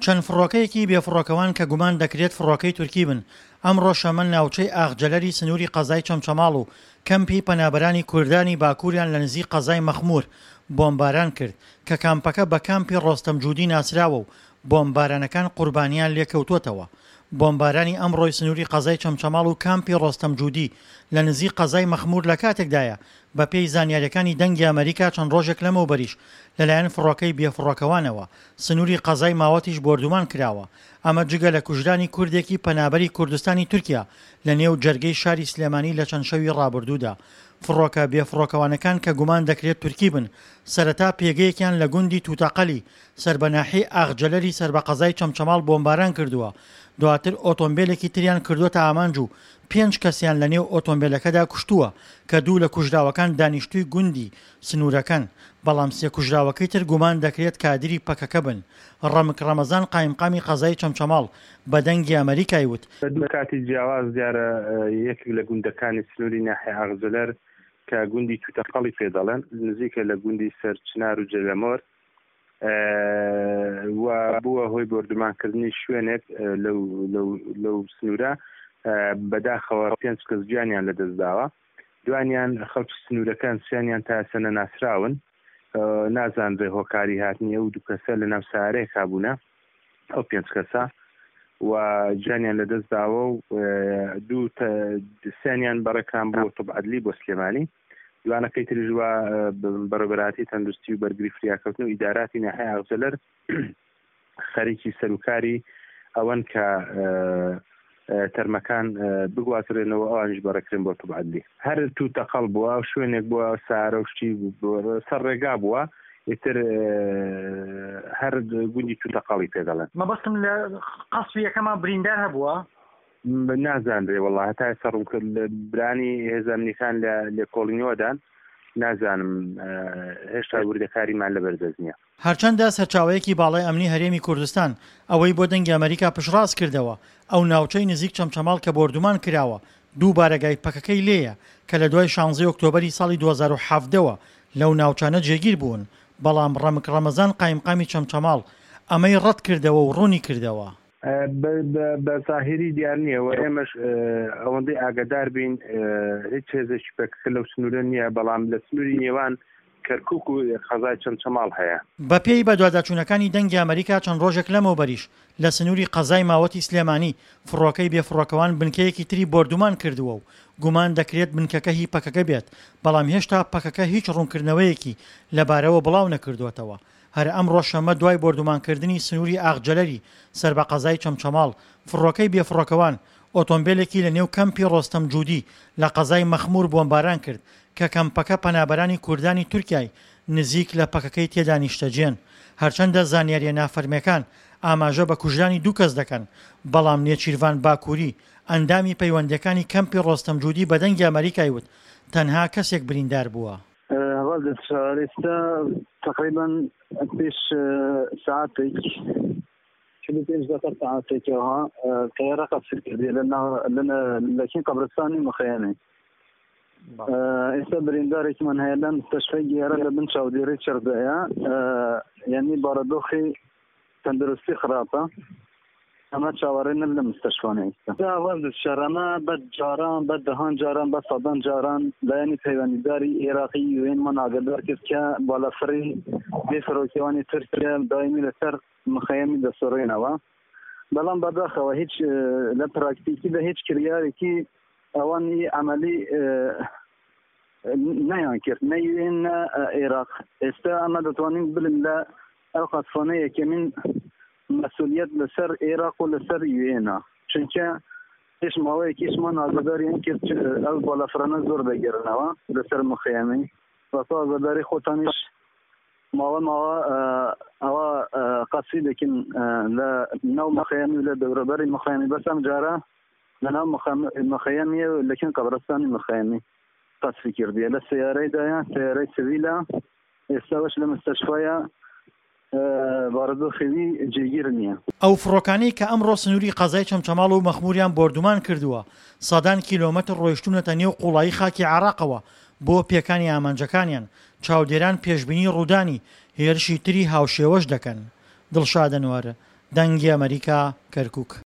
چەند فڕۆکەیەکی بێفڕۆکەوان کە گومان دەکرێت فڕۆکەی تورکی بن، ئەمڕۆ شەممە ناوچەی ئاغجەلەری سنووری قەزای چەمچەماڵ و کەمپی پەنابەرانی کوردانی باکووریان لە نزیک قەزای مەخموور بۆمباران کرد کە کامپەکە بە کامپی ڕۆستەم جودی ناسراوە و بۆمبارانەکان قوربانیان لێکەوتووەتەوە. بۆمبارانی ئەمڕۆی سنووری قەزای چەمچەماڵ و کامپی ڕۆستەم جودی لە نزیک قەزای مەخموور لە کاتێکدایە بەپێی زانیارییەکانی دەنگی ئەمەریکا چەند ڕۆژێک لەمەوبەریش لەلایەن فڕۆکەی بێفڕۆکەوانەوە سنووری قەزای ماوەتیش بۆردومان کراوە، ئەمە جگە لە کوژرانی کوردێکی پەنابەری کوردستانی تورکیا لە نێو جەرگەی شاری سلێمانی لە چەند شەوی ڕابردوودا. فڕۆکە بێفڕۆکەوانەکان کە گومان دەکرێت تورکی بن، سەرەتا پێگەیەکیان لە گوندی توتەقەلی سەر بە ناحیەی ئاغجەلەری سەر بە قەزای چەمچەماڵ بۆمباران کردووە، دواتر ئۆتۆمبێلێکی تریان کردووەتە ئامانج و پێنج کەسیان لە نێو ئۆتۆمبێلەکەدا کوشتووە کە دوو لە کوژراوەکان دانیشتووی گوندی سنوورەکەن، بەڵام سێ کوژراوەکەی تر گومان دەکرێت کادری پەکەکە بن. ڕەمک ڕەمەزان قایمقامی قەزای چەمچەماڵ بە دەنگی ئەمەریکای وت، بە دوو کاتی جیاواز دیارە یەکێک لە گوندەکانی سنووری ناحیە ئاغجەلەر کە گوندی توتەقەڵی پێ دەڵێن نزیکە لە گوندی سەرچنار و جەلەمۆر و بووە هۆی بۆردومانکردنی شوێنێک لەو سنوورە بەداخەوە پێنج کەس گیانیان لەدەستداوە. دوانیان خەڵکی سنوورەکەن، سیانیان تا ئێستا نەناسراون. نازانرێ هۆکاری هاتنی ئەو دوو کەسە لە ناو سەیارەیەکا بوونە ئەو پێنج کەسە و گیانیان لەدەست داوە و دوو سیانیان بەڕێکران بۆ طب عدلی بۆ سلێمانی دوانەکەی تریش وا بەڕێوەبەرایەتی تەندروستی و بەرگری فریاکەوتن و ئیداراتی ناحیەی ئاغجەلەر خەریکی سەروکاری ئەوەن کە تەرمەکان بگوازرێنەوە ئەوانیش بەڕێکرێن بۆ طب عدلی. هەر توو تەقەڵ بووە شوێنێک بووە سارە و شتی سەر ڕێگا بووە ئیتر هەر گوندی توو تەقەڵی پێ دەڵێن. مەبەستم لە قەسفی یەکەما بریندار هەبووە؟ نازانرێ وەڵا هەتا ئێستا ڕوون کرد برانی هێزە ئەمنیەکان لە لێکۆڵینەوەدان نازانم هێشتا وردەکاریمان لەبەر دەست نییە. هەرچەندە سەرچاوەیەکی باڵای ئەمنی هەرێمی کوردستان ئەوەی بۆ دەنگی ئەمەریکا پشتڕاست کردەوە، ئەو ناوچەی نزیک چەمچەماڵ کە بۆردومان کراوە دوو بارەگای پەکەکەی لێیە کە لە دوای شانزەی ئۆکتۆبەری ساڵی 2017 وە لەو ناوچانە جێگیر بوون، بەڵام ڕەمک ڕەمەزان قایمقامی چەمچەماڵ ئەمەی ڕەت کردەوە و ڕوونی کردەوە. بە زاهیری دیار نییە و ئێمەش ئەوەندەی ئاگادار بین هیچ هێزێکی پەکەکە لەو سنوورە نییە، بەڵام لە سنووری نێوان کەرکوک و قەزای چەمچەماڵ هەیە. بەپێی بەدواداچوونەکانی دەنگی ئەمەریکا چەند ڕۆژێک لەمەوبەریش لە سنووری قەزای ماوەتی سلێمانی فڕۆکەی بێفڕۆکەوان بنکەیەکی تری بۆردومان کردووە و گومان دەکرێت بنکەکە هی پەکەکە بێت، بەڵام هێشتا پەکەکە هیچ ڕوونکردنەوەیەکی لەبارەوە بڵاونەکردووەتەوە. هەر ئەمڕۆ شەممە دوای بۆردومانکردنی سنووری ئاغجەلەری سەر بە قەزای چەمچەماڵ، فڕۆکەی بێفڕۆکەوان ئۆتۆمبێلێکی لە نێو کەمپی ڕۆستەم جودی لە قەزای مەخموور بۆمباران کرد کە کەمپەکە پەنابەرانی کوردانی تورکیای نزیک لە پەکەکەی تێدا نیشتەجێن. هەرچەندە زانیارییە نافەرمییەکان ئاماژە بە کوژرانی دوو کەس دەکەن، بەڵام نێچیرڤان باکووری، ئەندامی پەیوەندییەکانی کەمپی ڕۆستەم جودی بە دەنگی ئەمەریکای وت، تەنها کەسێک بریندار بووە. هەڤال دەسشار ئێستا تقریبا پێش ساعتێک 45 دقیقە ساعتێکەوە تەیارە قەسر کردی لە لەکین قەبرستانی مخەیەنێ ئێستا بریندارێکمان هەیە لە مستەشفای گێرە لە بن چاودێری چڕدایە یعنی بارودۆخی تەندروستی خراپە ئەمە چاوەڕێ نەب لە مستەشفانە ئێستا شەرەمە بە جاران بە دەهان جاران بە سەدان جاران لایەنی پەیوەندیداری عێراقی یوێنمان ئاگادار کرد کە بالەفڕی بێ فڕۆکەوانی تورکیا دایمی لەسەر مخەیەمی دەسڕێنەوە بەڵام بەداخەوە هیچ لە پراکتیکیدا هیچ کریارێکی ئەوانی عملی نەیان کرد نە یوێن نە عێراق ئێستا ئەمە دەتوانین بلن لە ئەو قەسفانە یەکەمین مەسولیت لەسەر عێراق و لەسەر یوێنە چونکە پێش ماوەیەکیشمان ئاگاداریان کرد ئەو بالەفرانە زۆر دەگەرنەوە لەسەر مخەیەمی وەکو ئاگاداری خۆتانیش ماوە ماوە ئەوە قەسفی دەکەن لە ناو مخەیەمی و لە دەورەبەری مخەیەمی بەس ئەم جارە لەناو مخەیەمیە و لەکن قەبرستانی مخەیەمی قەسفی کردیە لە سەیارەیدایە سەیارەی سڤیلە ئێستاوەش لە مستەشفایە بارودۆخی وی جێگیر نییە. ئەو فڕۆکانەی کە ئەمڕۆ سنووری قەزای چەمچەماڵ و مەخمووریان بۆردومان کردووە، سەدان کیلۆمەتر ڕۆیشتوونەتە نێو قوڵایی خاکی عێراقەوە بۆ پێکانی ئامانجەکانیان، چاودێران پێشبینی ڕوودانی هێرشی تری هاوشێوەش دەکەن. دڵشاد ئەنوەر، دەنگی ئەمەریکا، کەرکوک.